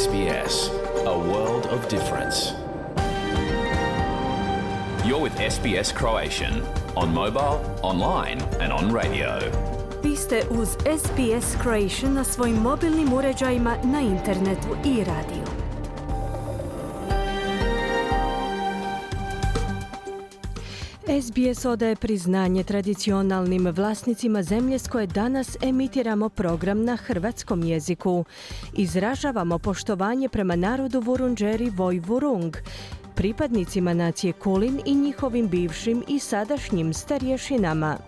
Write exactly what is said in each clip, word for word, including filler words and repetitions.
S B S, a world of difference. You're with S B S Croatian on mobile, online and on radio. Vi ste uz S B S Croatian na svojim mobilnim uređajima, na internetu i radiju. S B S odaje priznanje tradicionalnim vlasnicima zemlje s koje danas emitiramo program na hrvatskom jeziku. Izražavamo poštovanje prema narodu Vurundjeri Voj-Vurung, pripadnicima nacije Kulin i njihovim bivšim i sadašnjim starješinama.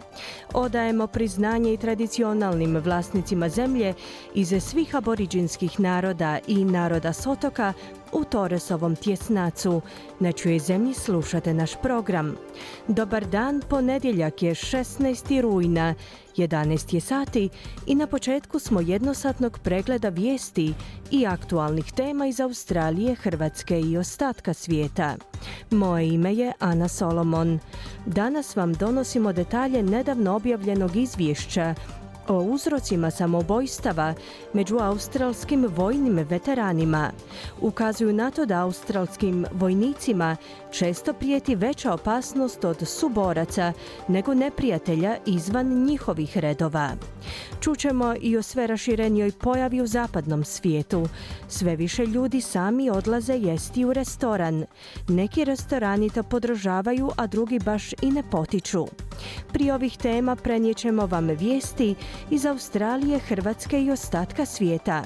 Odajemo priznanje i tradicionalnim vlasnicima zemlje iz svih aboriđinskih naroda i naroda s otoka u Torresovom tjesnacu, na čijoj zemlji slušate naš program. Dobar dan, ponedjeljak je šesnaesti rujna, jedanaest je sati i na početku smo jednosatnog pregleda vijesti i aktualnih tema iz Australije, Hrvatske i ostatka svijeta. Moje ime je Ana Solomon. Danas vam donosimo detalje nedavno objavljenog izvješća o uzrocima samoubojstava među australskim vojnim veteranima. Ukazuju na to da australskim vojnicima često prijeti veća opasnost od suboraca nego neprijatelja izvan njihovih redova. Čućemo i o sve raširenijoj pojavi u zapadnom svijetu. Sve više ljudi sami odlaze jesti u restoran. Neki restorani to podržavaju, a drugi baš i ne potiču. Prije ovih tema prenijećemo vam vijesti iz Australije, Hrvatske i ostatka svijeta.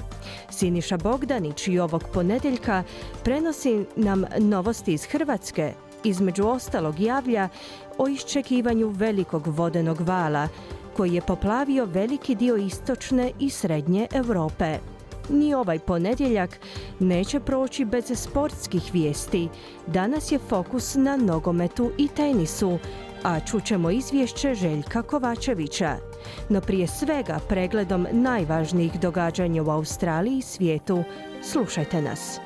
Siniša Bogdanić i ovog ponedjeljka prenosi nam novosti iz Hrvatske. Između ostalog javlja o iščekivanju velikog vodenog vala koji je poplavio veliki dio istočne i srednje Europe. Ni ovaj ponedjeljak neće proći bez sportskih vijesti. Danas je fokus na nogometu i tenisu, a čućemo izvješće Željka Kovačevića. No prije svega pregledom najvažnijih događanja u Australiji i svijetu. Slušajte nas.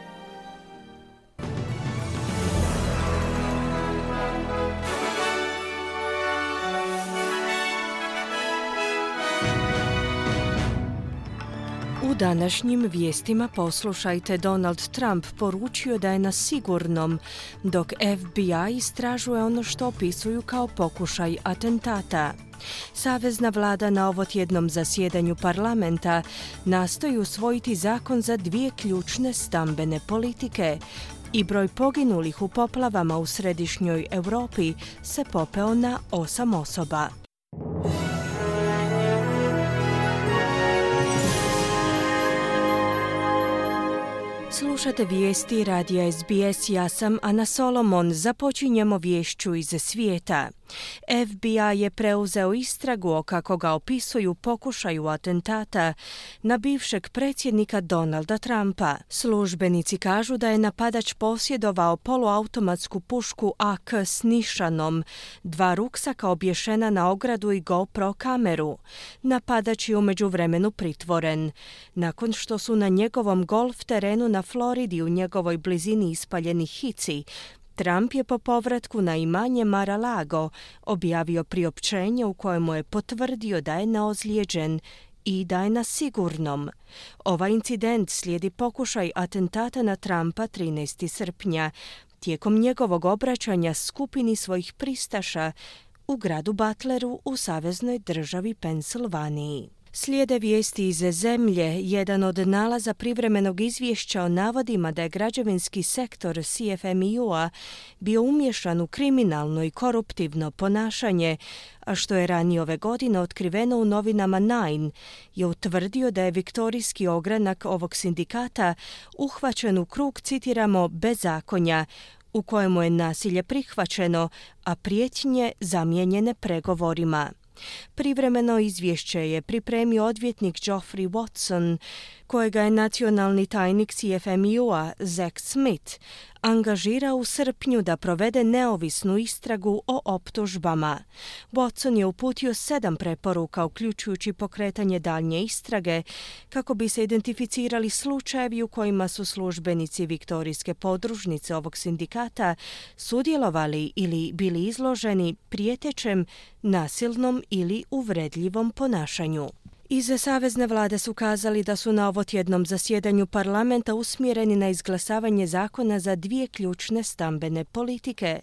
U današnjim vijestima poslušajte, Donald Trump poručio da je na sigurnom, dok F B I istražuje ono što opisuju kao pokušaj atentata. Savezna vlada na ovotjednom zasjedanju parlamenta nastoji usvojiti zakon za dvije ključne stambene politike i broj poginulih u poplavama u središnjoj Europi se popeo na osam osoba. Slušate vijesti radija S B S, ja sam Ana Solomon. Započinjemo viješću iz svijeta. F B I je preuzeo istragu o, kako ga opisuju, pokušaju atentata na bivšeg predsjednika Donalda Trumpa. Službenici kažu da je napadač posjedovao poluautomatsku pušku A K s nišanom, dva ruksaka obješena na ogradu i GoPro kameru. Napadač je u međuvremenu pritvoren. Nakon što su na njegovom golf terenu na Floridi u njegovoj blizini ispaljeni hici, Trump je po povratku na imanje Mar-a-Lago objavio priopćenje u kojemu je potvrdio da je neozlijeđen i da je na sigurnom. Ovaj incident slijedi pokušaj atentata na Trumpa trinaestog srpnja, tijekom njegovog obraćanja skupini svojih pristaša u gradu Butleru u saveznoj državi Pensilvaniji. Slijede vijesti iz zemlje. Jedan od nalaza privremenog izvješća o navodima da je građevinski sektor C F M E U-a bio umješan u kriminalno i koruptivno ponašanje, a što je ranije ove godine otkriveno u novinama Nine, je utvrdio da je viktorijski ogranak ovog sindikata uhvaćen u krug, citiramo, bezakonja, u kojemu je nasilje prihvaćeno, a prijetnje zamijenjene pregovorima. Privremeno izvješće je pripremio odvjetnik Geoffrey Watson, kojega je nacionalni tajnik C F M E U-a Zack Smith angažirao u srpnju da provede neovisnu istragu o optužbama. Watson je uputio sedam preporuka, uključujući pokretanje daljnje istrage, kako bi se identificirali slučajevi u kojima su službenici viktorijske podružnice ovog sindikata sudjelovali ili bili izloženi prijetećem, nasilnom ili uvredljivom ponašanju. Iz savezne vlade su kazali da su na ovotjednom zasjedanju parlamenta usmjereni na izglasavanje zakona za dvije ključne stambene politike.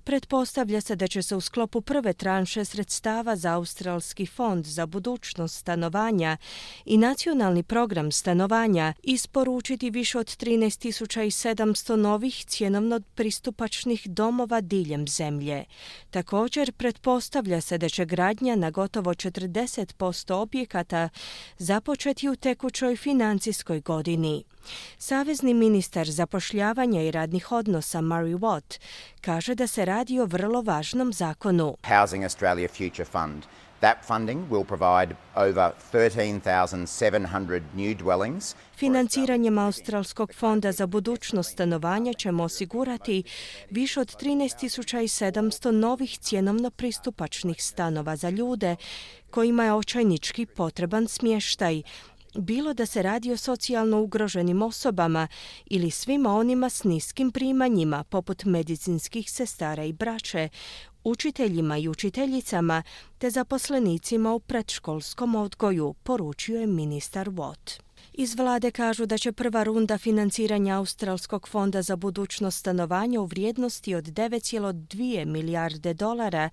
Pretpostavlja se da će se u sklopu prve tranše sredstava za Australski fond za budućnost stanovanja i nacionalni program stanovanja isporučiti više od trinaest tisuća sedamsto novih cjenovno pristupačnih domova diljem zemlje. Također, pretpostavlja se da će gradnja na gotovo četrdeset posto objekata započeti u tekućoj financijskoj godini. Savezni ministar zapošljavanja i radnih odnosa Murray Watt kaže da se radi o vrlo važnom zakonu. Housing Australia Future Fund. That funding will provide over thirteen thousand seven hundred new dwellings. Financiranjem Australskog fonda za budućnost stanovanja ćemo osigurati više od trinaest tisuća sedamsto novih cjenovno pristupačnih stanova za ljude kojima je očajnički potreban smještaj, bilo da se radi o socijalno ugroženim osobama ili svima onima s niskim primanjima, poput medicinskih sestara i braće, učiteljima i učiteljicama te zaposlenicima u predškolskom odgoju, poručio je ministar Watt. Iz vlade kažu da će prva runda financiranja Australskog fonda za budućnost stanovanja u vrijednosti od devet zarez dvije milijarde dolara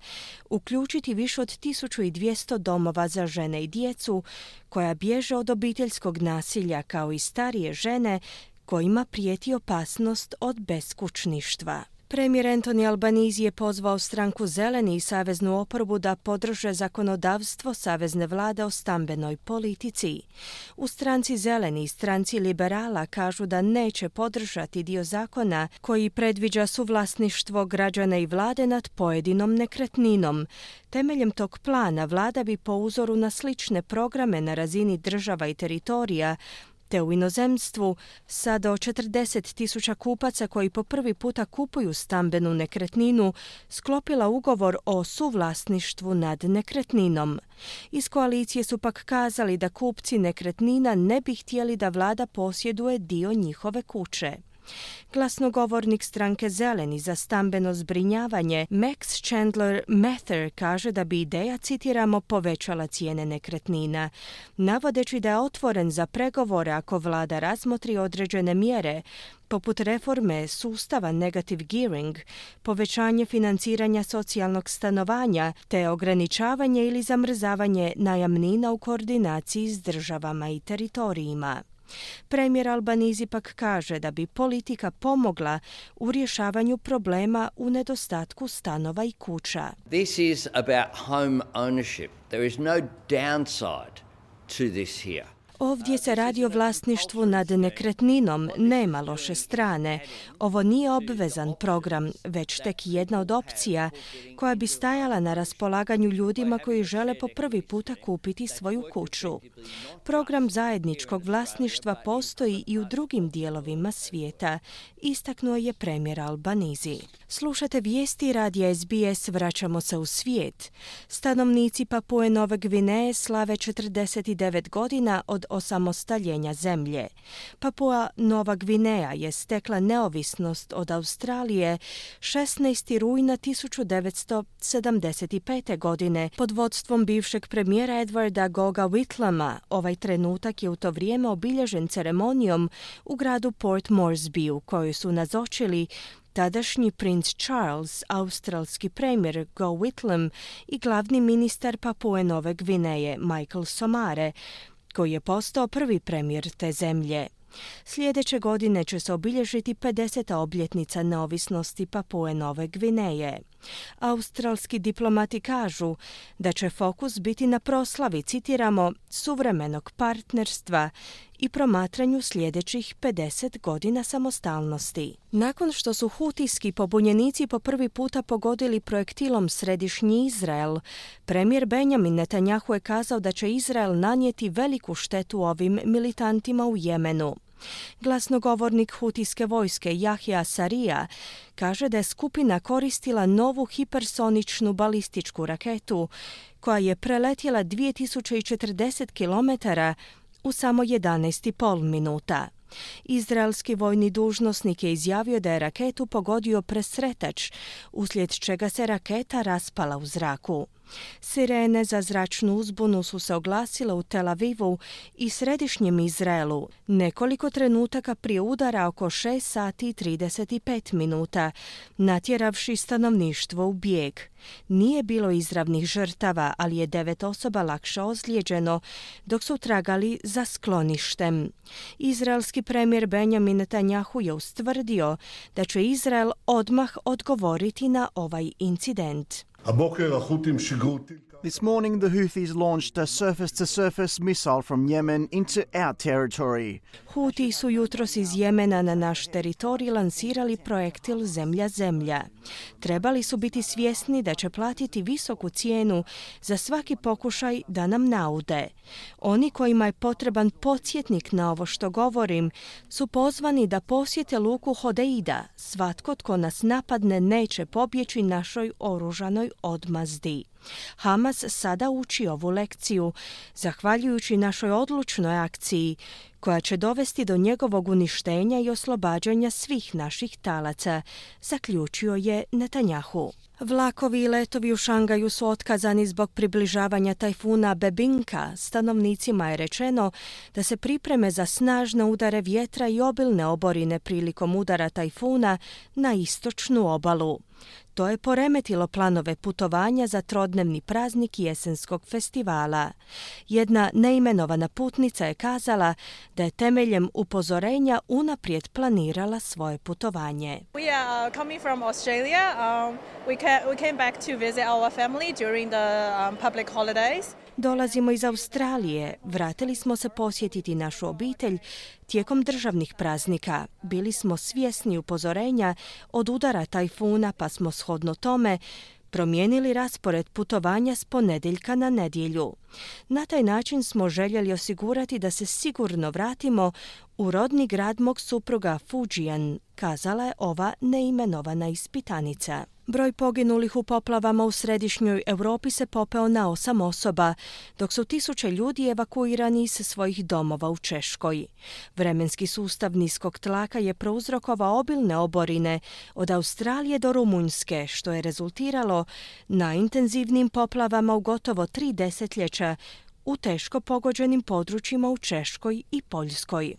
uključiti više od tisuću dvjesto domova za žene i djecu koja bježe od obiteljskog nasilja, kao i starije žene kojima prijeti opasnost od beskućništva. Premijer Anthony Albanese je pozvao stranku Zeleni i saveznu oporbu da podrže zakonodavstvo savezne vlade o stambenoj politici. U stranci Zeleni i stranci Liberala kažu da neće podržati dio zakona koji predviđa suvlasništvo građana i vlade nad pojedinom nekretninom. Temeljem tog plana vlada bi po uzoru na slične programe na razini država i teritorija te u inozemstvu sa do četrdeset tisuća kupaca koji po prvi puta kupuju stambenu nekretninu sklopila ugovor o suvlasništvu nad nekretninom. Iz koalicije su pak kazali da kupci nekretnina ne bi htjeli da vlada posjeduje dio njihove kuće. Glasnogovornik stranke Zeleni za stambeno zbrinjavanje Max Chandler Mather kaže da bi ideja, citiramo, povećala cijene nekretnina, navodeći da je otvoren za pregovore ako vlada razmotri određene mjere, poput reforme sustava negative gearing, povećanje financiranja socijalnog stanovanja te ograničavanje ili zamrzavanje najamnina u koordinaciji s državama i teritorijima. Premijer Albanese pak kaže da bi politika pomogla u rješavanju problema u nedostatku stanova i kuća. This is about home ownership. There is no downside to this here. Ovdje se radi o vlasništvu nad nekretninom, nema loše strane. Ovo nije obvezan program, već tek jedna od opcija koja bi stajala na raspolaganju ljudima koji žele po prvi puta kupiti svoju kuću. Program zajedničkog vlasništva postoji i u drugim dijelovima svijeta, istaknuo je premijer Albanese. Slušate vijesti radija S B S, vraćamo se u svijet. Stanovnici Papue Nove Gvineje slave četrdeset devet godina od osamostaljenja zemlje. Papua Nova Gvineja je stekla neovisnost od Australije šesnaestog rujna tisuću devetsto sedamdeset pete. godine pod vodstvom bivšeg premijera Edwarda Goga Whitlama. Ovaj trenutak je u to vrijeme obilježen ceremonijom u gradu Port Moresby u kojoj su nazočili tadašnji princ Charles, australski premijer Go Whitlam i glavni ministar Papue Nove Gvineje Michael Somare, koji je postao prvi premijer te zemlje. Sljedeće godine će se obilježiti pedeseta obljetnica neovisnosti Papue Nove Gvineje. Australski diplomati kažu da će fokus biti na proslavi, citiramo, suvremenog partnerstva i promatranju sljedećih pedeset godina samostalnosti. Nakon što su hutijski pobunjenici po prvi puta pogodili projektilom središnji Izrael, premijer Benjamin Netanjahu je kazao da će Izrael nanijeti veliku štetu ovim militantima u Jemenu. Glasnogovornik hutijske vojske Jahja Sarija kaže da je skupina koristila novu hipersoničnu balističku raketu koja je preletjela dvije tisuće četrdeset kilometara u samo jedanaest i pol minuta. Izraelski vojni dužnosnik je izjavio da je raketu pogodio presretač, uslijed čega se raketa raspala u zraku. Sirene za zračnu uzbunu su se oglasile u Tel Avivu i središnjem Izraelu nekoliko trenutaka prije udara oko šest sati i trideset pet minuta, natjeravši stanovništvo u bijeg. Nije bilo izravnih žrtava, ali je devet osoba lakše ozlijeđeno dok su tragali za skloništem. Izraelski premijer Benjamin Netanjahu je ustvrdio da će Izrael odmah odgovoriti na ovaj incident. This morning, the Houthis launched a surface-to-surface missile from Yemen into our territory. Huti su jutros iz Jemena na naš teritorij lansirali projektil zemlja-zemlja. Trebali su biti svjesni da će platiti visoku cijenu za svaki pokušaj da nam naude. Oni kojima je potreban podsjetnik na ovo što govorim su pozvani da posjete luku Hodeida. Svatko tko nas napadne neće pobjeći našoj oružanoj odmazdi. Hamas sada uči ovu lekciju, zahvaljujući našoj odlučnoj akciji, koja će dovesti do njegovog uništenja i oslobađanja svih naših talaca, zaključio je Netanjahu. Vlakovi i letovi u Šangaju su otkazani zbog približavanja tajfuna Bebinka. Stanovnicima je rečeno da se pripreme za snažne udare vjetra i obilne oborine prilikom udara tajfuna na istočnu obalu. To je poremetilo planove putovanja za trodnevni praznik jesenskog festivala. Jedna neimenovana putnica je kazala da je temeljem upozorenja unaprijed planirala svoje putovanje. We are uh, coming from Australia. Um, we, ca- we came back to visit our family during the um, public holidays. Dolazimo iz Australije. Vratili smo se posjetiti našu obitelj tijekom državnih praznika. Bili smo svjesni upozorenja od udara tajfuna, pa smo shodno tome promijenili raspored putovanja s ponedjeljka na nedjelju. Na taj način smo željeli osigurati da se sigurno vratimo u rodni grad mog supruga Fujian, kazala je ova neimenovana ispitanica. Broj poginulih u poplavama u središnjoj Europi se popeo na osam osoba, dok su tisuće ljudi evakuirani iz svojih domova u Češkoj. Vremenski sustav niskog tlaka je prouzrokovao obilne oborine od Australije do Rumunjske, što je rezultiralo najintenzivnijim poplavama u gotovo tri desetljeća u teško pogođenim područjima u Češkoj i Poljskoj.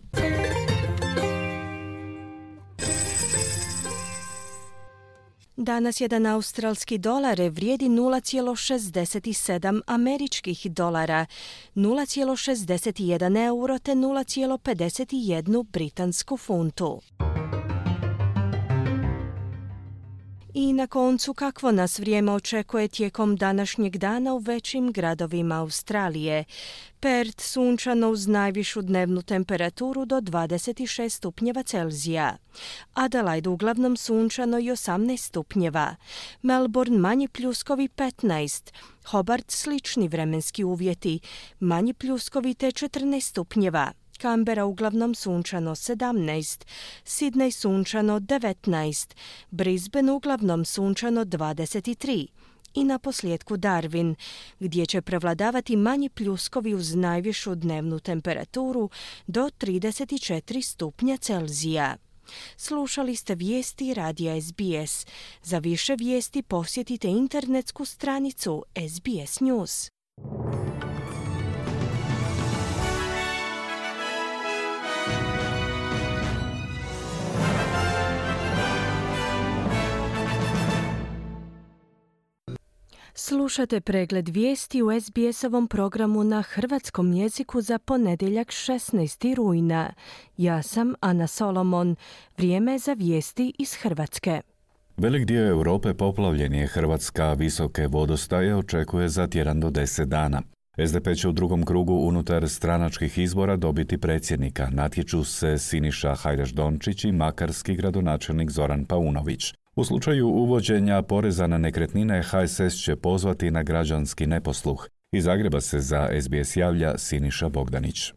Danas jedan australski dolar vrijedi nula zarez šezdeset sedam američkih dolara, nula zarez šezdeset jedan euro te nula zarez pedeset jedan britansku funtu. I na koncu, kakvo nas vrijeme očekuje tijekom današnjeg dana u većim gradovima Australije. Perth sunčano uz najvišu dnevnu temperaturu do dvadeset šest stupnjeva Celzija. Adelaide uglavnom sunčano i osamnaest stupnjeva. Melbourne manji pljuskovi petnaest. Hobart slični vremenski uvjeti, manji pljuskovi te četrnaest stupnjeva. Canberra uglavnom sunčano sedamnaest, Sydney sunčano devetnaest, Brisbane uglavnom sunčano dvadeset tri i na posljedku Darwin, gdje će prevladavati manji pljuskovi uz najvišu dnevnu temperaturu do trideset četiri stupnja Celzija. Slušali ste vijesti radija S B S. Za više vijesti posjetite internetsku stranicu S B S News. Slušate pregled vijesti u S B S-ovom programu na hrvatskom jeziku za ponedjeljak šesnaestog rujna. Ja sam Ana Solomon. Vrijeme za vijesti iz Hrvatske. Velik dio Europe poplavljen je. Hrvatska visoke vodostaje očekuje za tjedan do deset dana. S D P će u drugom krugu unutar stranačkih izbora dobiti predsjednika. Natječu se Siniša Hajdaš-Dončić i makarski gradonačelnik Zoran Paunović. U slučaju uvođenja poreza na nekretnine H S S će pozvati na građanski neposluh. Iz Zagreba se za S B S javlja Siniša Bogdanić.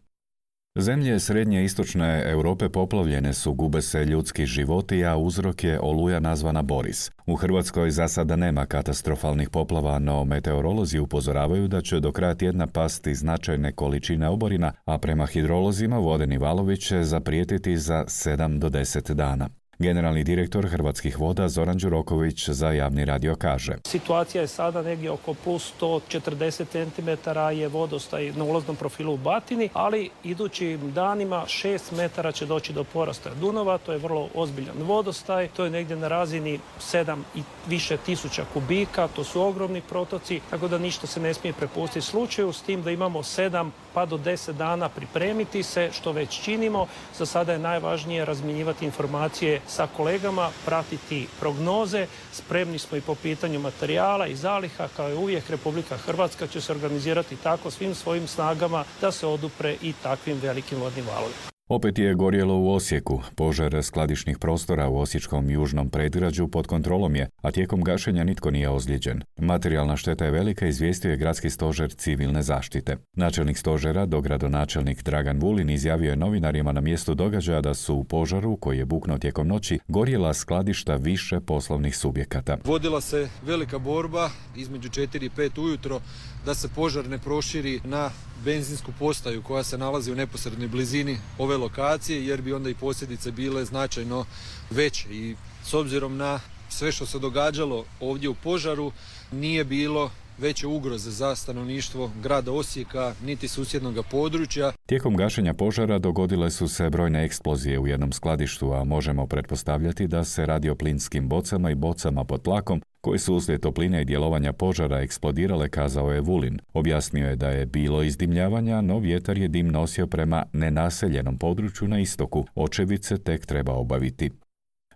Zemlje srednje i istočne Europe poplavljene su, gube se ljudski životi, a uzrok je oluja nazvana Boris. U Hrvatskoj za sada nema katastrofalnih poplava, no meteorolozi upozoravaju da će do kraja tjedna pasti značajne količine oborina, a prema hidrolozima vodeni valovi će zaprijetiti za sedam do deset dana. Generalni direktor Hrvatskih voda Zoran Đuroković za Javni radio kaže: Situacija je sada negdje oko plus sto četrdeset centimetara je vodostaj na ulaznom profilu u Batini, ali idućim danima šest metara će doći do porasta Dunava, to je vrlo ozbiljan vodostaj, to je negdje na razini sedam i više tisuća kubika, to su ogromni protoci, tako da ništa se ne smije prepustiti slučaju, s tim da imamo sedam pa do deset dana pripremiti se, što već činimo. Za sada je najvažnije razmjenjivati informacije sa kolegama, pratiti prognoze, spremni smo i po pitanju materijala i zaliha, kao i uvijek Republika Hrvatska će se organizirati tako svim svojim snagama da se odupre i takvim velikim vodnim valovima. Opet je gorjelo u Osijeku. Požar skladišnih prostora u osječkom južnom predgrađu pod kontrolom je, a tijekom gašenja nitko nije ozlijeđen. Materijalna šteta je velika, izvijestio je gradski stožer civilne zaštite. Načelnik stožera, dogradonačelnik Dragan Vulin, izjavio je novinarima na mjestu događaja da su u požaru, koji je buknuo tijekom noći, gorjela skladišta više poslovnih subjekata. Vodila se velika borba između četiri i pet ujutro da se požar ne proširi na benzinsku postaju koja se nalazi u neposrednoj blizini ove lokacije, jer bi onda i posljedice bile značajno veće. I s obzirom na sve što se događalo ovdje u požaru, nije bilo veće ugroze za stanovništvo grada Osijeka niti susjednog područja. Tijekom gašenja požara dogodile su se brojne eksplozije u jednom skladištu, a možemo pretpostavljati da se radi o plinskim bocama i bocama pod tlakom koji su uslijed topline i djelovanja požara eksplodirale, kazao je Vulin. Objasnio je da je bilo izdimljavanja, no vjetar je dim nosio prema nenaseljenom području na istoku. Očevice tek treba obaviti.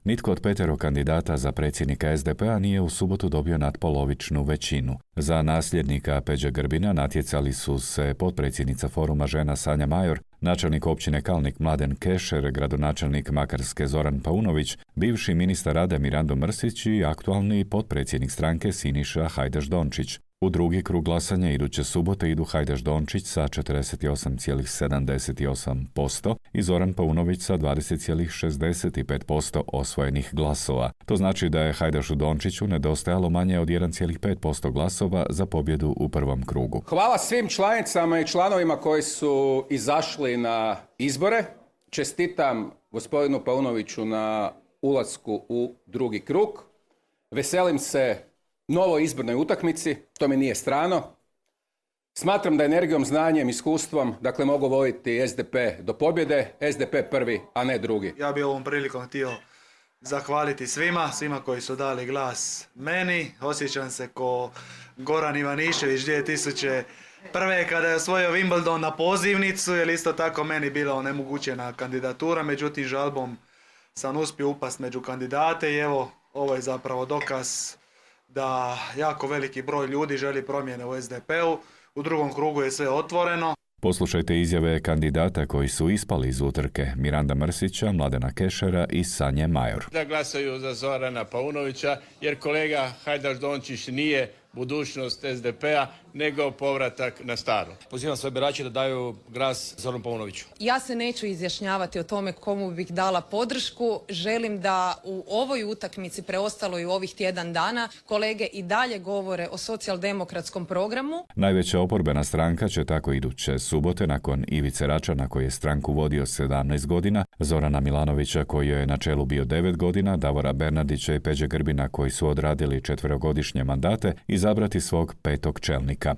Nitko od petero kandidata za predsjednika es de pe a nije u subotu dobio natpolovičnu većinu. Za nasljednika Peđe Grbina natjecali su se potpredsjednica Foruma žena Sanja Major, načelnik općine Kalnik Mladen Kešer, gradonačelnik Makarske Zoran Paunović, bivši ministar rada Mirando Mrsić i aktualni potpredsjednik stranke Siniša Hajdaš Dončić. U drugi krug glasanja iduće subote idu Hajdaš Dončić sa četrdeset osam zarez sedamdeset osam posto i Zoran Paunović sa dvadeset zarez šezdeset pet posto osvojenih glasova. To znači da je Hajdašu Dončiću nedostajalo manje od jedan zarez pet posto glasova za pobjedu u prvom krugu. Hvala svim članicama i članovima koji su izašli na izbore. Čestitam gospodinu Paunoviću na ulasku u drugi krug. Veselim se novoj izbornoj utakmici, to mi nije strano. Smatram da energijom, znanjem, iskustvom, dakle, mogu voditi es de pe do pobjede, es de pe prvi, a ne drugi. Ja bih ovom prilikom htio zahvaliti svima, svima koji su dali glas meni. Osjećam se ko Goran Ivanišević dvije tisuće prve kada je osvojio Wimbledon na pozivnicu, jer isto tako meni bila onemogućena kandidatura, međutim žalbom sam uspio upast među kandidate i evo, ovo je zapravo dokaz da jako veliki broj ljudi želi promjene u es de pe u. U drugom krugu je sve otvoreno. Poslušajte izjave kandidata koji su ispali iz utrke: Miranda Mrsića, Mladena Kešera i Sanje Major. Da glasaju za Zorana Paunovića, jer kolega Hajdaš Dončić nije budućnost es de pe a, nego povratak na staro. Pozivam sve birače da daju glas Zoranu Paunoviću. Ja se neću izjašnjavati o tome komu bih dala podršku. Želim da u ovoj utakmici, preostaloj u ovih tjedan dana, kolege i dalje govore o socijaldemokratskom programu. Najveća oporbena stranka će tako iduće subote, nakon Ivice Račana koji je stranku vodio sedamnaest godina, Zorana Milanovića koji je na čelu bio devet godina, Davora Bernardića i Peđe Grbina koji su odradili četverogodišnje mandate, izabrati svog petog čelnika.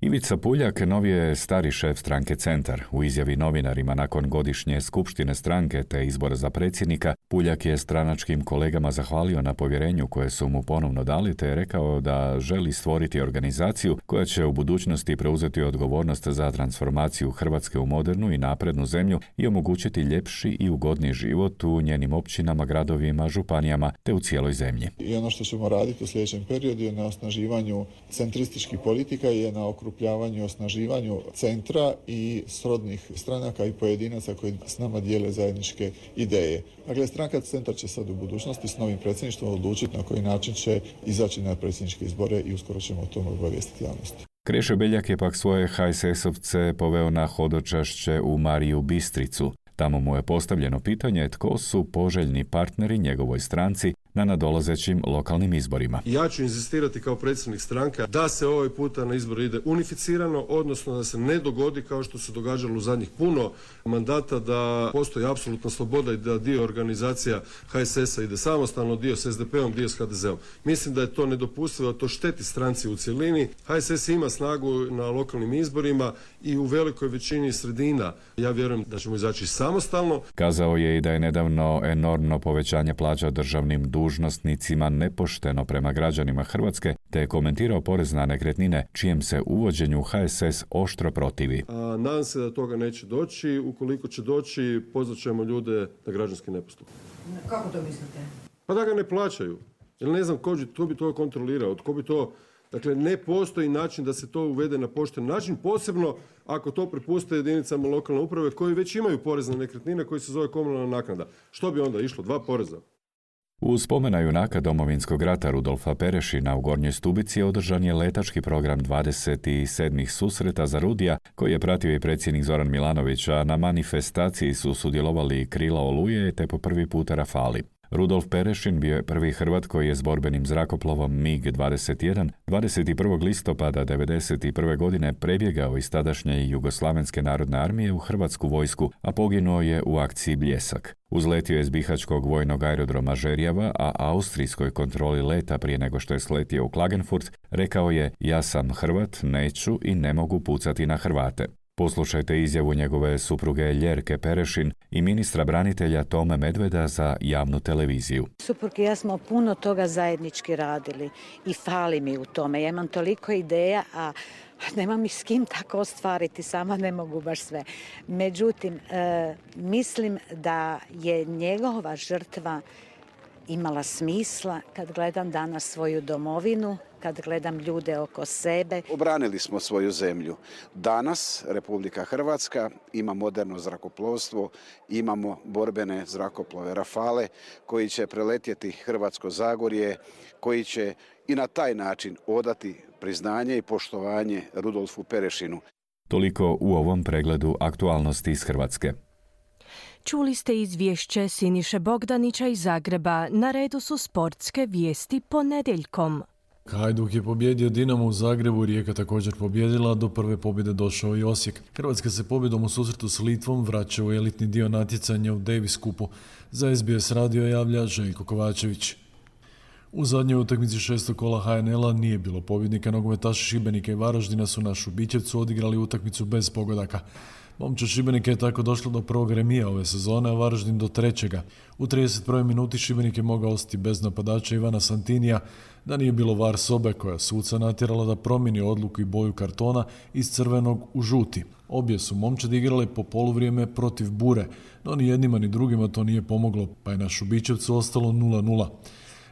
Ivica Puljak novi je stari šef stranke Centar. U izjavi novinarima nakon godišnje skupštine stranke te izbora za predsjednika, Puljak je stranačkim kolegama zahvalio na povjerenju koje su mu ponovno dali, te je rekao da želi stvoriti organizaciju koja će u budućnosti preuzeti odgovornost za transformaciju Hrvatske u modernu i naprednu zemlju i omogućiti ljepši i ugodniji život u njenim općinama, gradovima, županijama te u cijeloj zemlji. I ono što ćemo raditi u sljedećem periodu je na osnaživanju centrističkih politika i na okrupljavanju i osnaživanju centra i srodnih stranaka i pojedinaca koji s nama dijele zajedničke ideje. Dakle, stranka Centar će sad u budućnosti s novim predsjedništvom odlučiti na koji način će izaći na predsjedničke izbore i uskoro ćemo o tome obavijestiti javnosti. Krešo Beljak je pak svoje ha es esovce poveo na hodočašće u Mariju Bistricu. Tamo mu je postavljeno pitanje tko su poželjni partneri njegovoj stranci na nadolazećim lokalnim izborima. Ja ću inzistirati kao predsjednik stranke da se ovaj puta na izbor ide unificirano, odnosno da se ne dogodi kao što se događalo u zadnjih puno mandata, da postoji apsolutna sloboda i da dio organizacija H S S-a ide samostalno, dio s S D P-om, dio s H D Z-om. Mislim da je to nedopustivo, da to šteti stranci u cjelini. H S S ima snagu na lokalnim izborima i u velikoj većini sredina. Ja vjerujem da ćemo izaći samostalno. Kazao je i da je nedavno enormno povećanje plaća državnim dužnosnicima nepošteno prema građanima Hrvatske, te je komentirao porez na nekretnine, čijem se uvođenju H S S oštro protivi. A, nadam se da toga neće doći. Ukoliko će doći, pozvat ćemo ljude na građanski nepostup. Kako to mislite? Pa da ga ne plaćaju. Jer ne znam ko, ko bi to kontrolirao, tko bi to... Dakle, ne postoji način da se to uvede na pošten način, posebno ako to prepuste jedinicama lokalne uprave koji već imaju porez na nekretnine koji se zove komunalna naknada. Što bi onda išlo? Dva poreza. U spomena junaka Domovinskog rata Rudolfa Perešina u Gornjoj Stubici održan je letački program dvadeset sedmih susreta za Rudija, koji je pratio i predsjednik Zoran Milanović, a na manifestaciji su sudjelovali Krila Oluje te po prvi puta Rafali. Rudolf Perešin bio je prvi Hrvat koji je s borbenim zrakoplovom MiG dvadeset jedan dvadeset prvog listopada devedeset prve godine prebjegao iz tadašnje Jugoslavenske narodne armije u Hrvatsku vojsku, a poginuo je u akciji Bljesak. Uzletio je s bihaćkog vojnog aerodroma Žerjava, a austrijskoj kontroli leta prije nego što je sletio u Klagenfurt rekao je: "Ja sam Hrvat, neću i ne mogu pucati na Hrvate." Poslušajte izjavu njegove supruge Ljerke Perešin i ministra branitelja Tome Medveda za javnu televiziju. Suprug i ja smo puno toga zajednički radili i fali mi u tome. Ja imam toliko ideja, a nemam ih s kim tako ostvariti, sama ne mogu baš sve. Međutim, e, mislim da je njegova žrtva imala smisla kad gledam danas svoju domovinu, kad gledam ljude oko sebe. Obranili smo svoju zemlju. Danas Republika Hrvatska ima moderno zrakoplovstvo, imamo borbene zrakoplove Rafale koji će preletjeti Hrvatsko Zagorje, koji će i na taj način odati priznanje i poštovanje Rudolfu Perešinu. Toliko u ovom pregledu aktualnosti iz Hrvatske. Čuli ste izvješće Siniše Bogdanića iz Zagreba. Na redu su sportske vijesti ponedjeljkom. Hajduk je pobjedio Dinamo u Zagrebu, Rijeka također pobjedila, do prve pobjede došao i Osijek. Hrvatska se pobjedom u susretu s Litvom vraća u elitni dio natjecanja u Davis Cupu. Za S B S radio javlja Željko Kovačević. U zadnjoj utakmici šestog kola H N L-a nije bilo pobjednika. Nogometaši Šibenika i Varaždina su na Šubićevcu odigrali utakmicu bez pogodaka. Momčad Šibenika je tako došlo do prvog remija ove sezone, a Varaždin do trećega. U trideset prvoj minuti Šibenik je mogao ostati bez napadača Ivana Santinija, da nije bilo var sobe koja suca natjerala da promijeni odluku i boju kartona iz crvenog u žuti. Obje su momčadi igrale po poluvrijeme protiv Bure, no ni jednima ni drugima to nije pomoglo, pa je na Šubićevcu ostalo nula nula.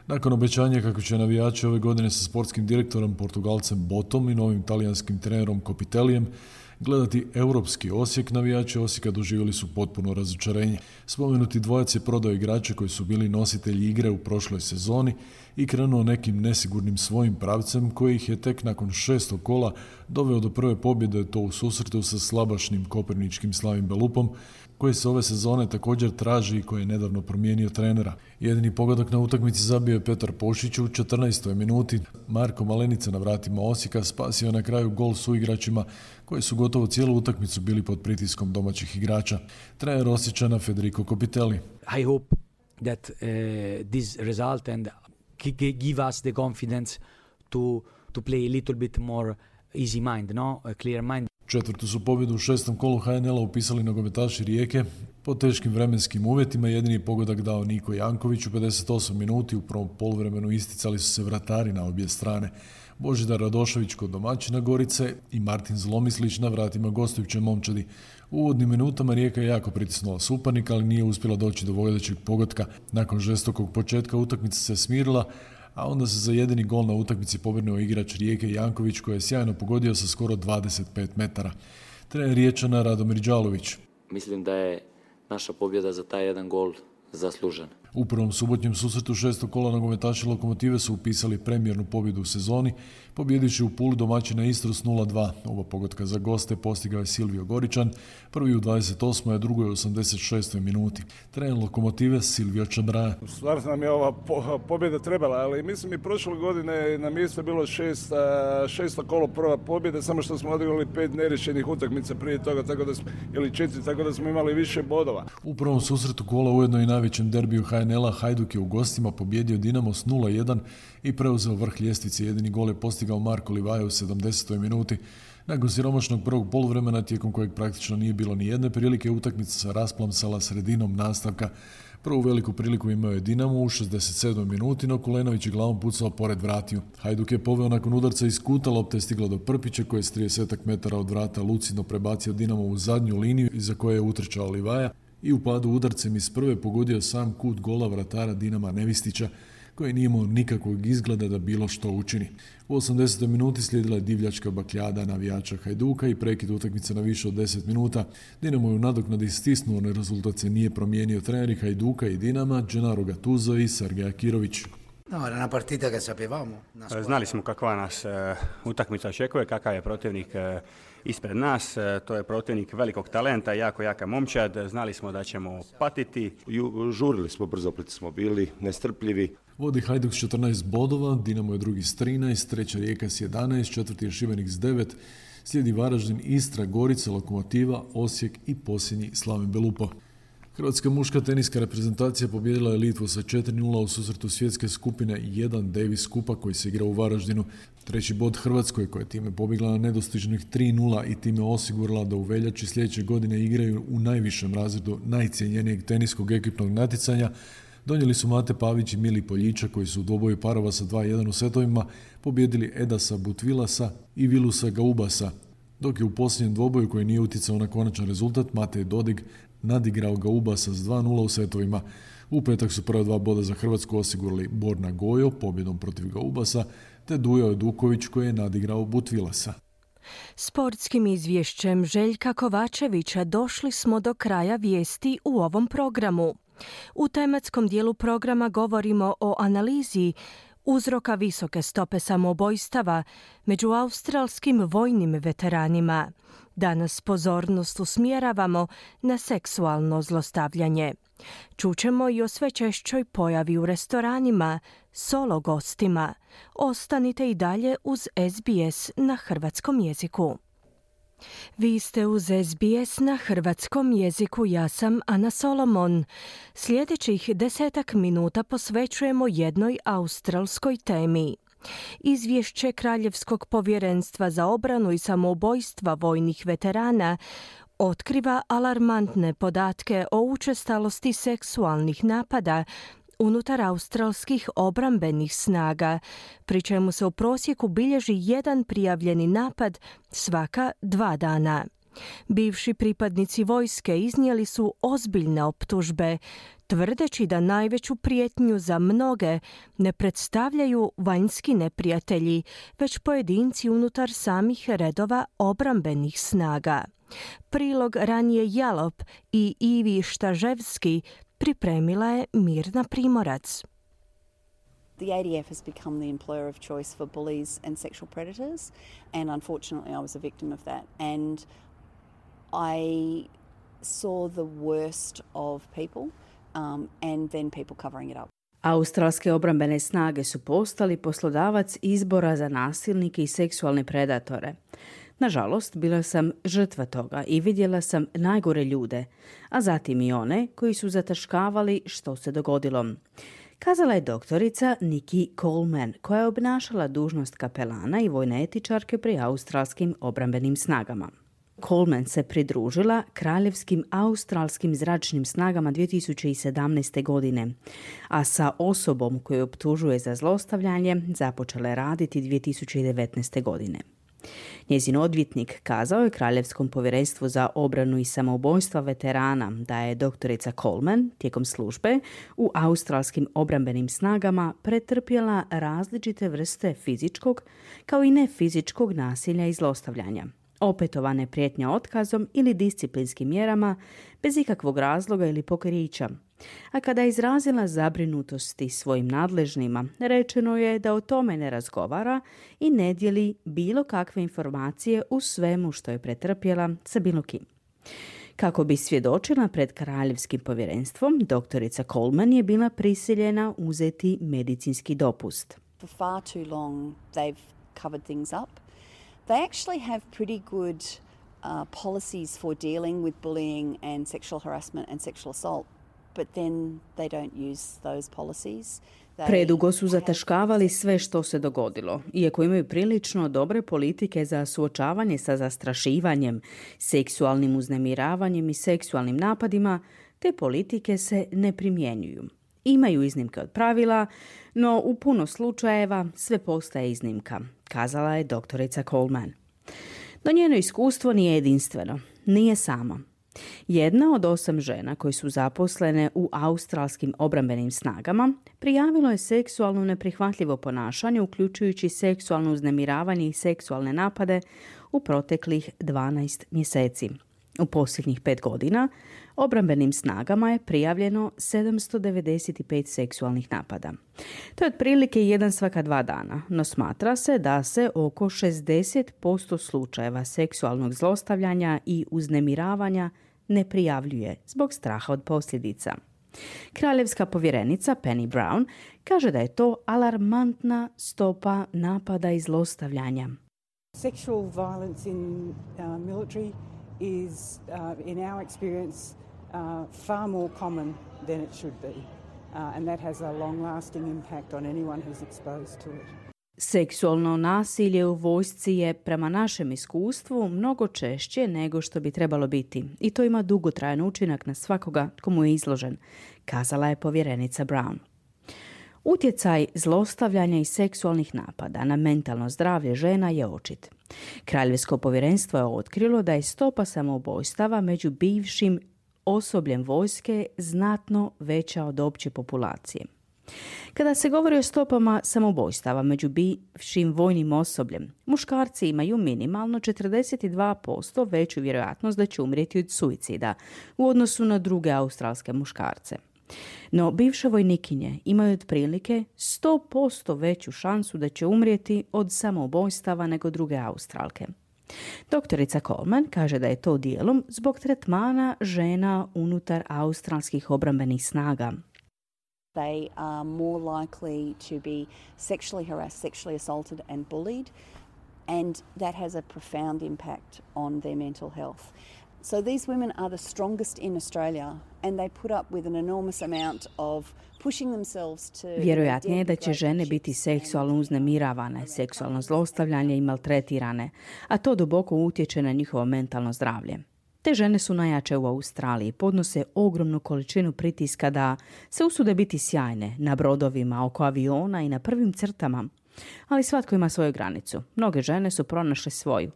Nakon obećanja kako će navijači ove godine sa sportskim direktorom Portugalcem Botom i novim talijanskim trenerom Kopitelijem gledati europski Osijek, navijači Osijeka doživjeli su potpuno razočarenje. Spomenuti dvojac je prodao igrače koji su bili nositelji igre u prošloj sezoni i krenuo nekim nesigurnim svojim pravcem koji ih je tek nakon šestog kola doveo do prve pobjede, to u susretu sa slabašnim koprivničkim Slavim Belupom, koji se ove sezone također traži i koji je nedavno promijenio trenera. Jedini pogodak na utakmici zabio je Petar Pošić u četrnaestoj minuti. Marko Malenica na vratima Osijeka spasio na kraju gol suigračima koji su gotovo cijelu utakmicu bili pod pritiskom domaćih igrača. Trener Osječana Federico Kopitelli. I hope that uh, this result and give us the confidence to to play a little bit more easy mind, no? A clear mind. Četvrtu su pobjedu u šestom kolu H N L-a upisali nogometaši Rijeke. Po teškim vremenskim uvjetima jedini pogodak dao Niko Janković u pedeset osmoj minuti. U prvom poluvremenu isticali su se vratari na obje strane. Božidar Radošević kod domaćina Gorice i Martin Zlomislić na vratima gostujuće momčadi. U uvodnim minutama Rijeka je jako pritisnula suparnika, ali nije uspjela doći do vodećeg pogotka. Nakon žestokog početka utakmica se smirila, a onda se za jedini gol na utakmici pobrinuo igrač Rijeke Janković koji je sjajno pogodio sa skoro dvadeset pet metara. Trener Riječana Radomir Đalović. Mislim da je naša pobjeda za taj jedan gol zaslužena. U prvom subotnjem susretu šestog kola nogometaši Lokomotive su upisali premijernu pobjedu u sezoni, pobjedići u Puli domaćina Istru s nula dva. Oba pogotka za goste postigao je Silvio Goričan, prvi u dvadeset osmoj a drugi u osamdeset šestoj minuti. Trener Lokomotive Silvio Čabraja. Stvarno nam je ova po- pobjeda trebala, ali mislim i prošle godine na mjestu je bilo šest, šesto kolo prva pobjeda, samo što smo odigrali pet neriješenih utakmica prije toga, tako da smo, ili četiri, tako da smo imali više bodova. U prvom susretu kola, ujedno i najvećem derbiju ha en el-a, Hajduk je u gostima pobjedio Dinamo s nula jedan i preuzeo vrh ljestvice. Jedini gol je postigao Marko Livaja u sedamdesetoj minuti. Nakon siromašnog prvog poluvremena, tijekom kojeg praktično nije bilo ni jedne prilike, utakmica se rasplamsala sredinom nastavka. Prvu veliku priliku imao je Dinamo u šezdeset sedmoj minuti, no Kulenović je glavom pucao pored vratiju. Hajduk je poveo nakon udarca iz kuta, lopta je stigla do Prpića koji je s trideset metara od vrata lucidno prebacio Dinamo u zadnju liniju iza koje je utrčao Livaja i u padu udarcem iz prve pogodio sam kut gola vratara Dinama Nevistića, koji nije imao nikakvog izgleda da bilo što učini. U osamdesetoj minuti slijedila je divljačka bakljada navijača Hajduka i prekid utakmice na više od deset minuta. Dinamo je u nadoknadi stisnuo, no rezultat se nije promijenio. Treneri Hajduka i Dinama, Gennaro Gattuso i Sergej Akirović. No, era una partita che sapevamo. Znali smo kakva nas uh, utakmica očekuje, kakav je protivnik uh, ispred nas. Uh, to je protivnik velikog talenta, jako jaka momčad. Znali smo da ćemo patiti. Ju, žurili smo brzo, proti smo bili nestrpljivi. Vodi Hajduk s četrnaest bodova, Dinamo je drugi s trinaest, treća Rijeka s jedanaest, četvrti je Šibenik s devet, slijedi Varaždin, Istra, Gorica, Lokomotiva, Osijek i posljednji Slaven Belupo. Hrvatska muška teniska reprezentacija pobijedila je Litvu sa četiri nula u susretu svjetske skupine jedan Davis Kupa koji se igra u Varaždinu. Treći bod Hrvatskoj koja je time pobjegla na nedostižnih tri nula i time osigurala da u veljači sljedeće godine igraju u najvišem razredu najcijenjenijeg teniskog ekipnog natjecanja, donijeli su Mate Pavić i Mili Poljičak koji su u dvoboju parova sa dva jedan u setovima pobijedili Edasa Butvilasa i Vilusa Gaubasa, dok je u posljednjem dvoboju koji nije utjecao na konačan rezultat Matej Dodig nadigrao Gaubasa s dva nula u setovima. U petak su prva dva boda za Hrvatsku osigurali Borna Gojo pobjedom protiv Gaubasa te Dujo Duković koji je nadigrao Butvilasa. Sportskim izvješćem Željka Kovačevića došli smo do kraja vijesti u ovom programu. U tematskom dijelu programa govorimo o analizi uzroka visoke stope samoubojstava među australskim vojnim veteranima. Danas pozornost usmjeravamo na seksualno zlostavljanje. Čućemo i o sve češćoj pojavi u restoranima, solo gostima. Ostanite i dalje uz es be es na hrvatskom jeziku. Vi ste uz es be es na hrvatskom jeziku, ja sam Ana Solomon. Sljedećih desetak minuta posvećujemo jednoj australskoj temi. Izvješće Kraljevskog povjerenstva za obranu i samoubojstva vojnih veterana otkriva alarmantne podatke o učestalosti seksualnih napada unutar australskih obrambenih snaga, pri čemu se u prosjeku bilježi jedan prijavljeni napad svaka dva dana. Bivši pripadnici vojske iznijeli su ozbiljne optužbe, tvrdeći da najveću prijetnju za mnoge ne predstavljaju vanjski neprijatelji, već pojedinci unutar samih redova obrambenih snaga. Prilog Ranije Jalop i Ivi Štaževski pripremila je Mirna Primorac. The A D F has become the employer of choice for bullies and sexual predators, and unfortunately I was a victim of that. And I saw the worst of people um, and then people covering it up. Australske obrambene snage su postali poslodavac izbora za nasilnike i seksualne predatore. Nažalost, bila sam žrtva toga i vidjela sam najgore ljude, a zatim i one koji su zataškavali što se dogodilo. Kazala je doktorica Nikki Coleman, koja je obnašala dužnost kapelana i vojne etičarke pri australskim obrambenim snagama. Coleman se pridružila kraljevskim australskim zračnim snagama dvije tisuće sedamnaeste. godine, a sa osobom koju optužuje za zlostavljanje započela je raditi dvije tisuće devetnaeste. godine. Njezin odvjetnik kazao je Kraljevskom povjerenstvu za obranu i samoubojstva veterana da je doktorica Coleman tijekom službe u australskim obrambenim snagama pretrpjela različite vrste fizičkog kao i nefizičkog nasilja i zlostavljanja. opetovane prijetnje otkazom ili disciplinskim mjerama bez ikakvog razloga ili pokrića. A kada je izrazila zabrinutosti svojim nadležnima, rečeno je da o tome ne razgovara i ne dijeli bilo kakve informacije u svemu što je pretrpjela sa bilo kim. Kako bi svjedočila pred kraljevskim povjerenstvom, doktorica Coleman je bila prisiljena uzeti medicinski dopust. For far too long they've covered things up. They actually have pretty good uh, policies for dealing with bullying and sexual harassment and sexual assault, but then they don't use those policies. Predugo su zataškavali sve što se dogodilo, iako imaju prilično dobre politike za suočavanje sa zastrašivanjem, seksualnim uznemiravanjem i seksualnim napadima, te politike se ne primjenjuju. Imaju iznimke od pravila, no u puno slučajeva sve postaje iznimka, kazala je doktorica Coleman. No njeno iskustvo nije jedinstveno, nije sama. Jedna od osam žena koji su zaposlene u australskim obrambenim snagama prijavilo je seksualno neprihvatljivo ponašanje, uključujući seksualno uznemiravanje i seksualne napade u proteklih dvanaest mjeseci. U posljednjih pet godina obrambenim snagama je prijavljeno sedamsto devedeset pet seksualnih napada. To je otprilike jedan svaka dva dana, no smatra se da se oko šezdeset posto slučajeva seksualnog zlostavljanja i uznemiravanja ne prijavljuje zbog straha od posljedica. Kraljevska povjerenica Penny Brown kaže da je to alarmantna stopa napada i zlostavljanja. Sexual violence in uh, military is, uh, in our experience, uh, far more common than it should be. Uh, and that has a long-lasting impact on anyone who's exposed to it. Seksualno nasilje u vojsci je, prema našem iskustvu, mnogo češće nego što bi trebalo biti i to ima dugotrajan učinak na svakoga komu je izložen, kazala je povjerenica Brown. Utjecaj zlostavljanja i seksualnih napada na mentalno zdravlje žena je očit. Kraljevsko povjerenstvo je otkrilo da je stopa samoubojstava među bivšim osobljem vojske znatno veća od opće populacije. Kada se govori o stopama samoubojstava među bivšim vojnim osobljem, muškarci imaju minimalno četrdeset dva posto veću vjerojatnost da će umrijeti od suicida u odnosu na druge australske muškarce. No, bivše vojnikinje imaju otprilike sto posto veću šansu da će umrijeti od samoubojstava nego druge Australke. Doktorica Coleman kaže da je to dijelom zbog tretmana žena unutar australskih obrambenih snaga. They are more likely to be sexually harassed, sexually assaulted and bullied, and that has a profound impact on their mental health. So these women are the strongest in Australia and they put up with an enormous amount of pushing themselves to... Vjerojatnije je da će žene biti seksualno uznemiravane, seksualno zlostavljanje i maltretirane, a to duboko utječe na njihovo mentalno zdravlje. Te žene su najjače u Australiji, podnose ogromnu količinu pritiska da se usude biti sjajne na brodovima, oko aviona i na prvim crtama. Ali svatko ima svoju granicu. Mnoge žene su pronašle svoju.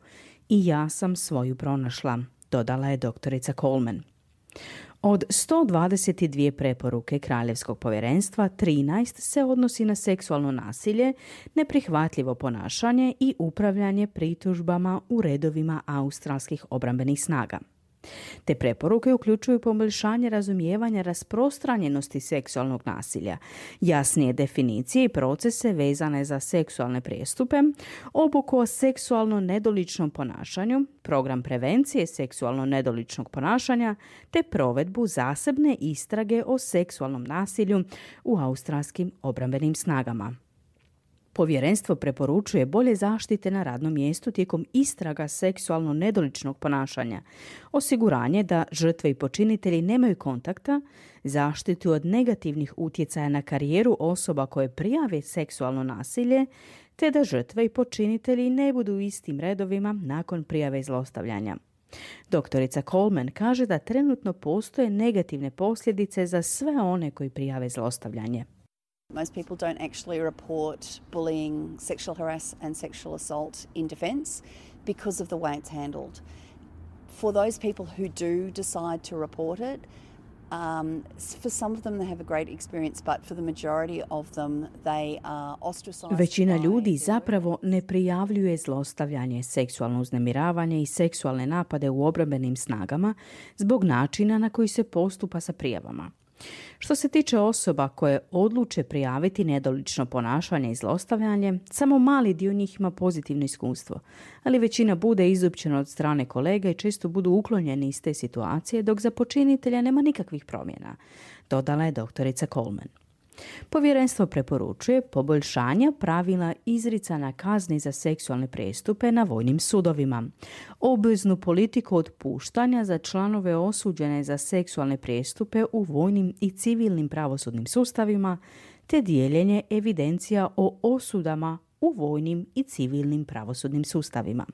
I ja sam svoju pronašla, dodala je doktorica Coleman. Od sto dvadeset dvije preporuke Kraljevskog povjerenstva, trinaest se odnosi na seksualno nasilje, neprihvatljivo ponašanje i upravljanje pritužbama u redovima australskih obrambenih snaga. Te preporuke uključuju poboljšanje razumijevanja rasprostranjenosti seksualnog nasilja, jasnije definicije i procese vezane za seksualne prijestupe, obuku o seksualno nedoličnom ponašanju, program prevencije seksualno nedoličnog ponašanja, te provedbu zasebne istrage o seksualnom nasilju u australskim obrambenim snagama. Povjerenstvo preporučuje bolje zaštite na radnom mjestu tijekom istraga seksualno nedoličnog ponašanja, osiguranje da žrtve i počinitelji nemaju kontakta, zaštitu od negativnih utjecaja na karijeru osoba koje prijave seksualno nasilje, te da žrtve i počinitelji ne budu u istim redovima nakon prijave zlostavljanja. Doktorica Coleman kaže da trenutno postoje negativne posljedice za sve one koji prijave zlostavljanje. Most people don't actually report bullying, sexual harass and sexual assault in defence because of the way it's handled. For those people who do decide to report it, Um, for some of them they have a great experience, but for the majority of them they are ostracized. Većina ljudi zapravo ne prijavljuje zlostavljanje, seksualno uznemiravanje i seksualne napade u obrambenim snagama zbog načina na koji se postupa sa prijavama. Što se tiče osoba koje odluče prijaviti nedolično ponašanje i zlostavljanje, samo mali dio njih ima pozitivno iskustvo, ali većina bude izopćena od strane kolega i često budu uklonjeni iz te situacije, dok za počinitelja nema nikakvih promjena, dodala je doktorica Coleman. Povjerenstvo preporučuje poboljšanja pravila izricanja kazni za seksualne prijestupe na vojnim sudovima, obveznu politiku otpuštanja za članove osuđene za seksualne prijestupe u vojnim i civilnim pravosudnim sustavima, te dijeljenje evidencija o osudama u vojnim i civilnim pravosudnim sustavima.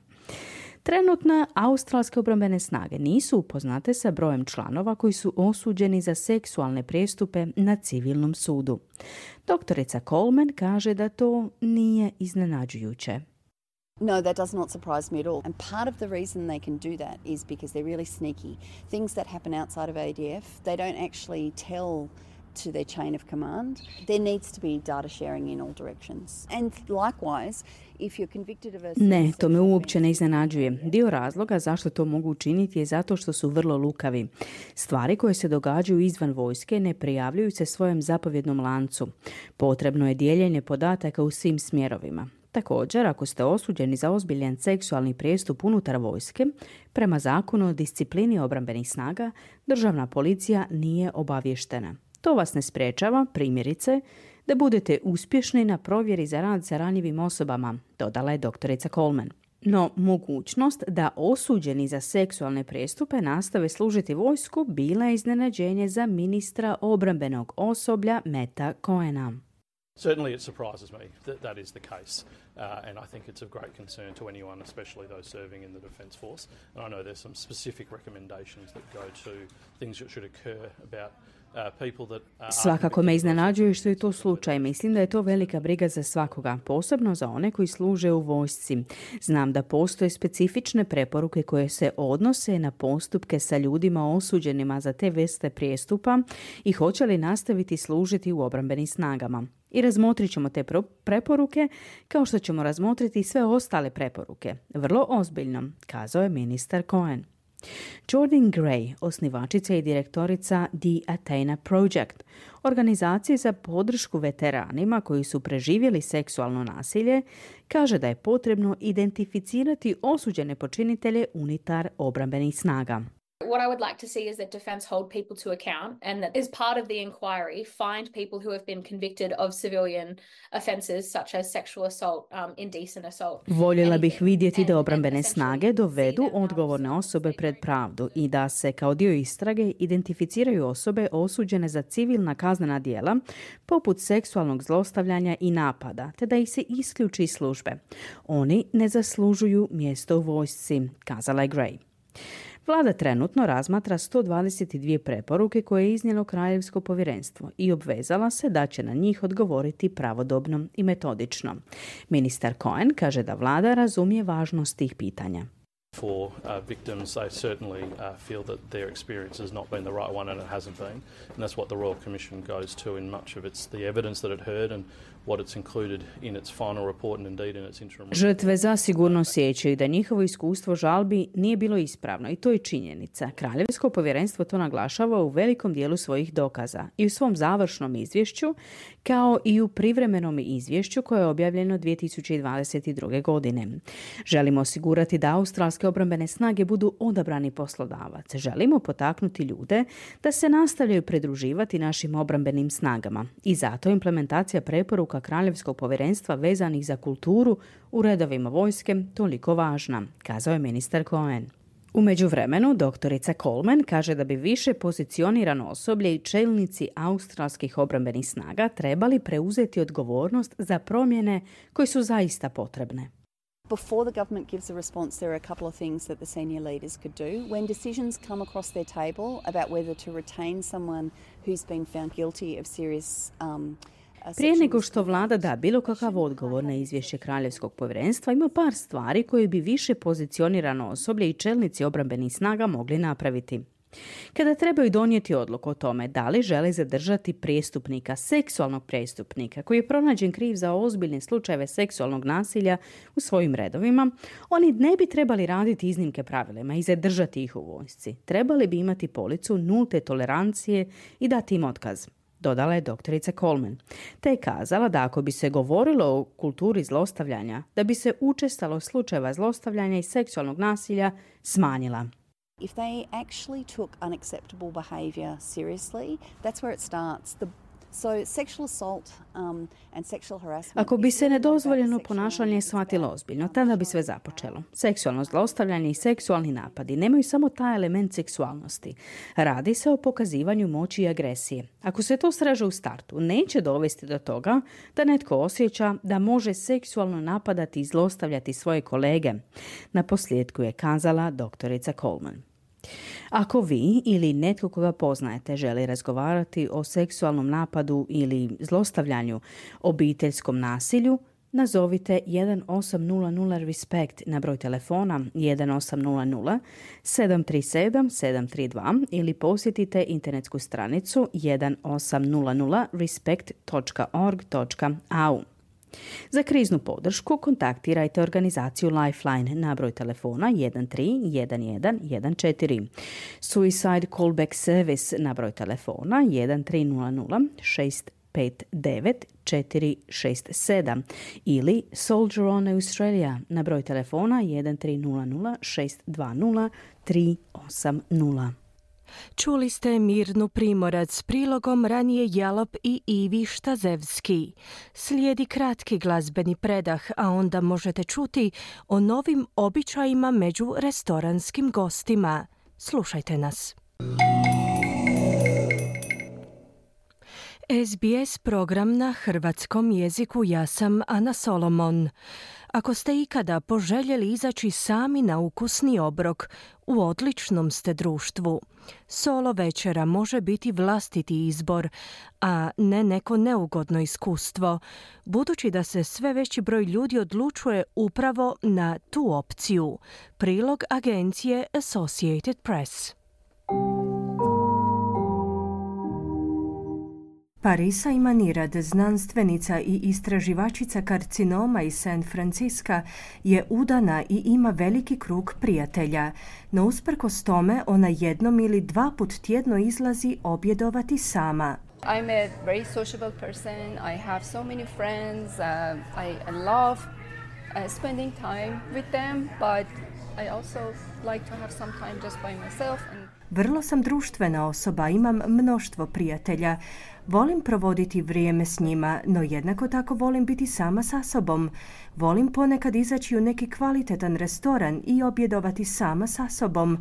Trenutno australske obrambene snage nisu upoznate sa brojem članova koji su osuđeni za seksualne prijestupe na civilnom sudu. Doktorica Coleman kaže da to nije iznenađujuće. No, that does not surprise me at all. And part of the reason they can do that is because they're really sneaky. Things that happen outside of A D F, they don't actually tell to their chain of command. There needs to be data sharing in all directions. And likewise, if you're convicted of a... Ne, to me uopće ne iznenađuje. Dio razloga zašto to mogu učiniti je zato što su vrlo lukavi. Stvari koje se događaju izvan vojske ne prijavljuju se svojem zapovjednom lancu. Potrebno je dijeljenje podataka u svim smjerovima. Također, ako ste osuđeni za ozbiljan seksualni prijestup unutar vojske, prema zakonu o disciplini obrambenih snaga, državna policija nije obavještena. To vas ne sprečava, primjerice, da budete uspješni na provjeri za rad sa ranjivim osobama, dodala je doktorica Coleman. No, mogućnost da osuđeni za seksualne prijestupe nastave služiti vojsku bila je iznenađenje za ministra obrambenog osoblja Meta Cohena. Certainly it surprises me that that is the case, uh, and I think it's of great concern to anyone, especially those serving in the Defence Force. And I know there's some specific recommendations that go to things that should occur about Svakako me iznenađuje što je to slučaj. Mislim da je to velika briga za svakoga, posebno za one koji služe u vojsci. Znam da postoje specifične preporuke koje se odnose na postupke sa ljudima osuđenima za te vrste prijestupa i hoće li nastaviti služiti u obrambenim snagama. I razmotrit ćemo te preporuke kao što ćemo razmotriti sve ostale preporuke. Vrlo ozbiljno, kazao je ministar Cohen. Jordan Gray, osnivačica i direktorica The Athena Project, organizacije za podršku veteranima koji su preživjeli seksualno nasilje, kaže da je potrebno identificirati osuđene počinitelje unutar obrambenih snaga. What I would like to see is that defence hold people to account and that as part of the inquiry find people who have been convicted of civilian offences such as sexual assault, um, indecent assault. Voljela bih vidjeti da obrambene snage dovedu odgovorne osobe pred pravdu i da se kao dio istrage identificiraju osobe osuđene za civilna kaznena djela poput seksualnog zlostavljanja i napada, te da ih se isključi iz službe. Oni ne zaslužuju mjesto u vojsci, kazala je Gray. Vlada trenutno razmatra sto dvadeset dvije preporuke koje je iznijelo Kraljevsko povjerenstvo i obvezala se da će na njih odgovoriti pravodobno i metodično. Ministar Cohen kaže da vlada razumije važnost tih pitanja. For uh, victims, they certainly uh, feel that their experience has not been the right one and it hasn't been. And that's what the Royal Commission goes to in much of its the evidence that it heard and what it's included in its final report and indeed in its interim report. Žrtve zasigurno sjećaju da njihovo iskustvo žalbi nije bilo ispravno i to je činjenica. Kraljevsko povjerenstvo to naglašava u velikom dijelu svojih dokaza i u svom završnom izvješću, kao i u privremenom izvješću koje je objavljeno dvije tisuće dvadeset druge. godine. Želimo osigurati da australske obrambene snage budu odabrani poslodavac. Želimo potaknuti ljude da se nastavljaju pridruživati našim obrambenim snagama i zato implementacija preporuka Kraljevskog povjerenstva vezanih za kulturu u redovima vojske toliko važna, kazao je ministar Cohen. U međuvremenu, doktorica Coleman kaže da bi više pozicionirano osoblje i čelnici australskih obrambenih snaga trebali preuzeti odgovornost za promjene koje su zaista potrebne. Before the government gives a response, there are a couple of things that the senior leaders could do. When decisions come across their table about whether to retain someone who's been found guilty of serious um, Prije nego što vlada da bilo kakav odgovor na izvješće Kraljevskog povjerenstva, ima par stvari koje bi više pozicionirano osoblje i čelnici obrambenih snaga mogli napraviti. Kada trebaju donijeti odluku o tome da li žele zadržati prijestupnika, seksualnog prijestupnika koji je pronađen kriv za ozbiljne slučajeve seksualnog nasilja u svojim redovima, oni ne bi trebali raditi iznimke pravilima i zadržati ih u vojsci. Trebali bi imati policu nulte tolerancije i dati im otkaz, dodala je doktorica Coleman. Te je kazala da ako bi se govorilo o kulturi zlostavljanja, da bi se učestalost slučajeva zlostavljanja i seksualnog nasilja smanjila. If they actually took unacceptable behaviour seriously, that's where it starts. The So sexual assault um, and sexual harassment. Ako bi se nedozvoljeno ponašanje shvatilo ozbiljno, tada bi sve započelo. Seksualno zlostavljanje i seksualni napadi nemaju samo taj element seksualnosti. Radi se o pokazivanju moći i agresije. Ako se to sreže u startu, neće dovesti do toga da netko osjeća da može seksualno napadati i zlostavljati svoje kolege. Na posljedku je kazala doktorica Coleman. Ako vi ili netko koga poznajete želi razgovarati o seksualnom napadu ili zlostavljanju, obiteljskom nasilju, nazovite jedan osam nula nula respect na broj telefona jedan osam nula nula sedam tri sedam sedam tri dva ili posjetite internetsku stranicu jedan osam nula nula respect točka org točka a u. Za kriznu podršku kontaktirajte organizaciju Lifeline na broj telefona jedan tri jedan jedan jedan četiri, Suicide Callback Service na broj telefona jedan tri nula nula šest pet devet četiri šest sedam ili Soldier On Australia na broj telefona jedan tri nula nula šest dva nula tri osam nula. Čuli ste Mirnu Primorac s prilogom ranije Jalop i Ivi Štazevski. Slijedi kratki glazbeni predah, a onda možete čuti o novim običajima među restoranskim gostima. Slušajte nas. S B S program na hrvatskom jeziku. Ja sam Ana Solomon. Ako ste ikada poželjeli izaći sami na ukusni obrok, u odličnom ste društvu. Solo večera može biti vlastiti izbor, a ne neko neugodno iskustvo, budući da se sve veći broj ljudi odlučuje upravo na tu opciju. Prilog agencije Associated Press. Parisa Imanirad, znanstvenica i istraživačica karcinoma iz San Francisca, je udana i ima veliki krug prijatelja. No usprkos tome, ona jednom ili dva put tjedno izlazi objedovati sama. I'm a very sociable person. I have so many friends. Uh, I, I love uh, spending time with them, but I also like to have some time just by myself. And Vrlo sam društvena osoba, imam mnoštvo prijatelja. Volim provoditi vrijeme s njima, no jednako tako volim biti sama sa sobom. Volim ponekad izaći u neki kvalitetan restoran i objedovati sama sa sobom.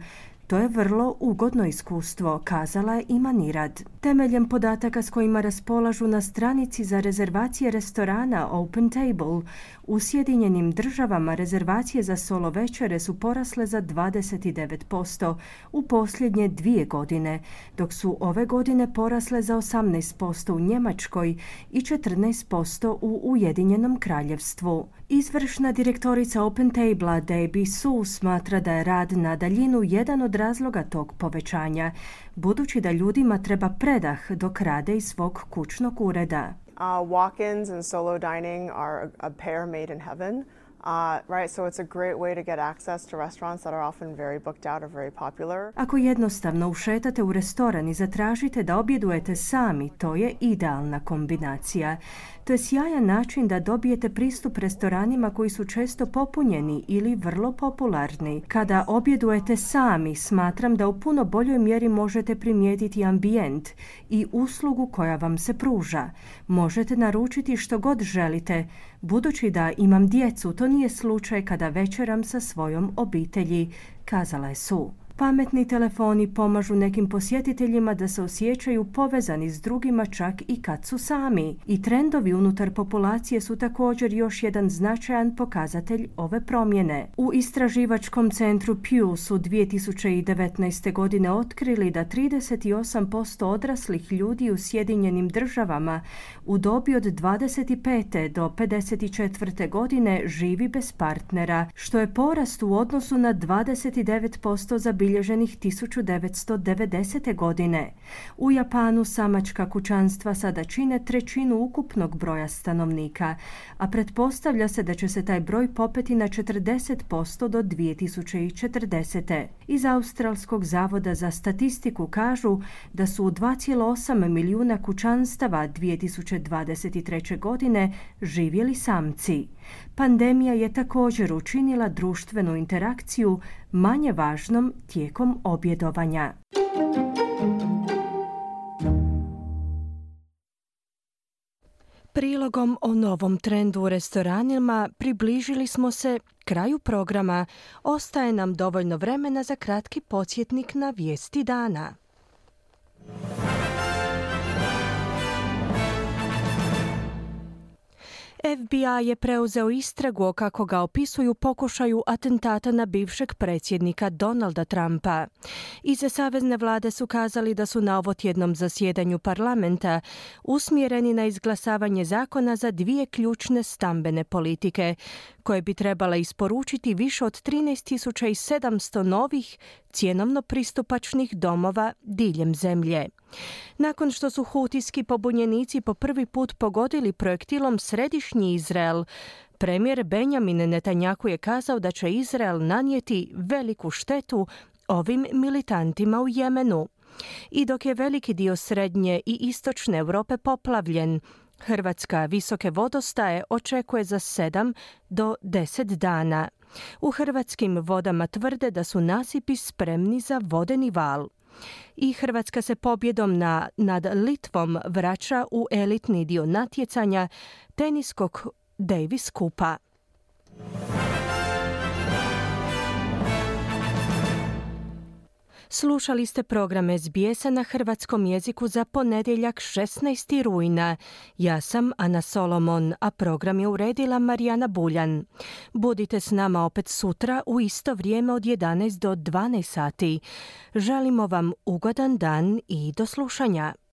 To je vrlo ugodno iskustvo, kazala je Imanirad. Temeljem podataka s kojima raspolažu na stranici za rezervacije restorana Open Table, u Sjedinjenim državama rezervacije za solo večere su porasle za dvadeset devet posto u posljednje dvije godine, dok su ove godine porasle za osamnaest posto u Njemačkoj i četrnaest posto u Ujedinjenom kraljevstvu. Izvršna direktorica Open Table Debbie Su smatra da je rad na daljinu jedan od razloga tog povećanja, budući da ljudima treba predah dok rade iz svog kućnog ureda. Uh, walk-ins and solo dining are a, a pair made in heaven. Uh, right, so it's a great way to get access to restaurants that are often very booked out or very popular. Ako jednostavno ušetate u restoran i zatražite da objedujete sami, to je idealna kombinacija. To je sjajan način da dobijete pristup restoranima koji su često popunjeni ili vrlo popularni. Kada objedujete sami, smatram da u puno boljoj mjeri možete primijetiti ambijent i uslugu koja vam se pruža. Možete naručiti što god želite. Budući da imam djecu, to nije slučaj kada večeram sa svojom obitelji, kazala je Su. Pametni telefoni pomažu nekim posjetiteljima da se osjećaju povezani s drugima čak i kad su sami. I trendovi unutar populacije su također još jedan značajan pokazatelj ove promjene. U istraživačkom centru Pew su dvije tisuće devetnaeste. godine otkrili da trideset osam posto odraslih ljudi u Sjedinjenim državama u dobi od dvadeset pete do pedeset četvrte. godine živi bez partnera, što je porast u odnosu na dvadeset devet posto za zabilježenih tisuću devetsto devedesete. godine. U Japanu samačka kućanstva sada čine trećinu ukupnog broja stanovnika, a pretpostavlja se da će se taj broj popeti na četrdeset posto do dvije tisuće četrdesete. Iz Australskog zavoda za statistiku kažu da su u dva zarez osam milijuna kućanstava dvije tisuće dvadeset treće. godine živjeli samci. Pandemija je također učinila društvenu interakciju manje važnom tijekom objedovanja. Prilogom o novom trendu u restoranima približili smo se kraju programa. Ostaje nam dovoljno vremena za kratki podsjetnik na vijesti dana. F B I je preuzeo istragu, kako ga opisuju, pokušaju atentata na bivšeg predsjednika Donalda Trumpa. Iz savezne vlade su kazali da su na ovotjednom zasjedanju parlamenta usmjereni na izglasavanje zakona za dvije ključne stambene politike, koje bi trebala isporučiti više od trinaest tisuća sedamsto novih cjenovno pristupačnih domova diljem zemlje. Nakon što su hutijski pobunjenici po prvi put pogodili projektilom središnji Izrael, premijer Benjamin Netanjahu je kazao da će Izrael nanijeti veliku štetu ovim militantima u Jemenu. I dok je veliki dio srednje i istočne Europe poplavljen, Hrvatska visoke vodostaje očekuje za sedam do deset dana. U hrvatskim vodama tvrde da su nasipi spremni za vodeni val. I Hrvatska se pobjedom na, nad Litvom vraća u elitni dio natjecanja teniskog Davis Kupa. Slušali ste program S B S-a na hrvatskom jeziku za ponedjeljak šesnaesti rujna. Ja sam Ana Solomon, a program je uredila Marijana Buljan. Budite s nama opet sutra u isto vrijeme od jedanaest do dvanaest sati. Želimo vam ugodan dan i do slušanja.